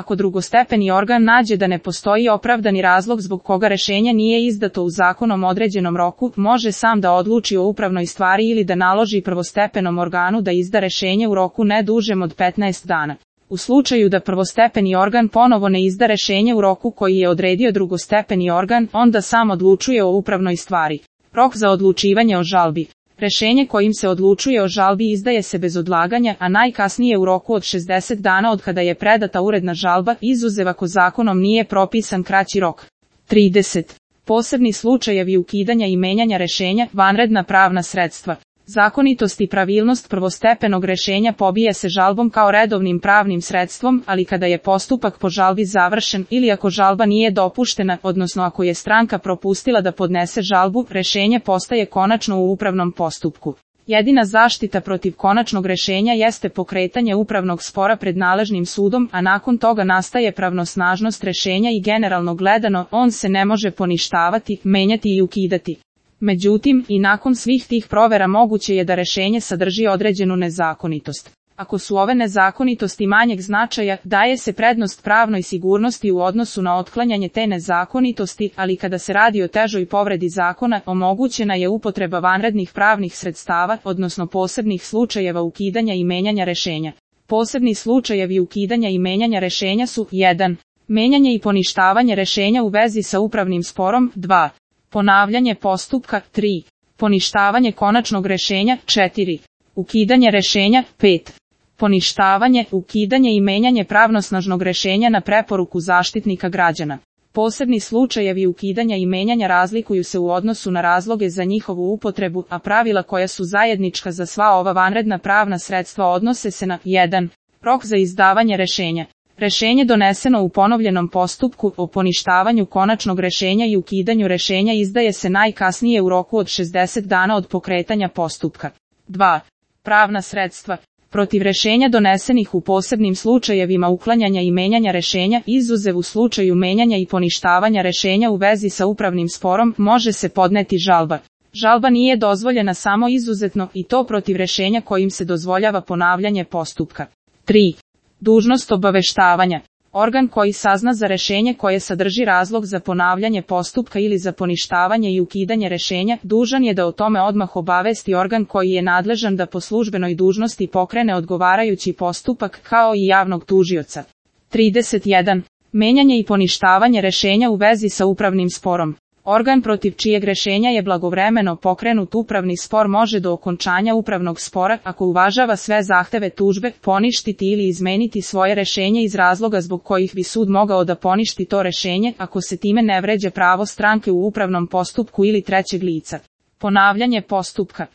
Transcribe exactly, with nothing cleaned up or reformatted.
Ako drugostepeni organ nađe da ne postoji opravdani razlog zbog koga rešenje nije izdato u zakonom određenom roku, može sam da odluči o upravnoj stvari ili da naloži prvostepenom organu da izda rešenje u roku ne dužem od petnaest dana. U slučaju da prvostepeni organ ponovo ne izda rešenje u roku koji je odredio drugostepeni organ, onda sam odlučuje o upravnoj stvari. Rok za odlučivanje o žalbi. Rešenje kojim se odlučuje o žalbi izdaje se bez odlaganja, a najkasnije u roku od šezdeset dana od kada je predata uredna žalba, izuzev ako zakonom nije propisan kraći rok. trideset. Posebni slučajevi ukidanja i menjanja rešenja, vanredna pravna sredstva. Zakonitost i pravilnost prvostepenog rešenja pobija se žalbom kao redovnim pravnim sredstvom, ali kada je postupak po žalbi završen ili ako žalba nije dopuštena, odnosno ako je stranka propustila da podnese žalbu, rešenje postaje konačno u upravnom postupku. Jedina zaštita protiv konačnog rešenja jeste pokretanje upravnog spora pred nadležnim sudom, a nakon toga nastaje pravnosnažnost rešenja i generalno gledano, on se ne može poništavati, menjati i ukidati. Međutim, i nakon svih tih provera moguće je da rešenje sadrži određenu nezakonitost. Ako su ove nezakonitosti manjeg značaja, daje se prednost pravnoj sigurnosti u odnosu na otklanjanje te nezakonitosti, ali kada se radi o težoj povredi zakona, omogućena je upotreba vanrednih pravnih sredstava, odnosno posebnih slučajeva ukidanja i menjanja rešenja. Posebni slučajevi ukidanja i menjanja rešenja su jedan. Menjanje i poništavanje rešenja u vezi sa upravnim sporom, dva. Ponavljanje postupka, tri. Poništavanje konačnog rešenja, četiri. Ukidanje rešenja, pet. Poništavanje, ukidanje i menjanje pravnosnažnog rešenja na preporuku zaštitnika građana. Posebni slučajevi ukidanja i menjanja razlikuju se u odnosu na razloge za njihovu upotrebu, a pravila koja su zajednička za sva ova vanredna pravna sredstva odnose se na jedan. Rok za izdavanje rešenja. Rešenje doneseno u ponovljenom postupku o poništavanju konačnog rešenja i ukidanju rešenja izdaje se najkasnije u roku od šezdeset dana od pokretanja postupka. dva. Pravna sredstva. Protiv rešenja donesenih u posebnim slučajevima uklanjanja i menjanja rešenja, izuzev u slučaju menjanja i poništavanja rešenja u vezi sa upravnim sporom, može se podneti žalba. Žalba nije dozvoljena samo izuzetno i to protiv rešenja kojim se dozvoljava ponavljanje postupka. tri. Dužnost obaveštavanja. Organ koji sazna za rešenje koje sadrži razlog za ponavljanje postupka ili za poništavanje i ukidanje rešenja, dužan je da o tome odmah obavesti organ koji je nadležan da po službenoj dužnosti pokrene odgovarajući postupak, kao i javnog tužioca. trideset jedan. Menjanje i poništavanje rešenja u vezi sa upravnim sporom. Organ protiv čijeg rešenja je blagovremeno pokrenut upravni spor može do okončanja upravnog spora, ako uvažava sve zahteve tužbe, poništiti ili izmeniti svoje rešenje iz razloga zbog kojih bi sud mogao da poništi to rešenje, ako se time ne vređa pravo stranke u upravnom postupku ili trećeg lica. Ponavljanje postupka.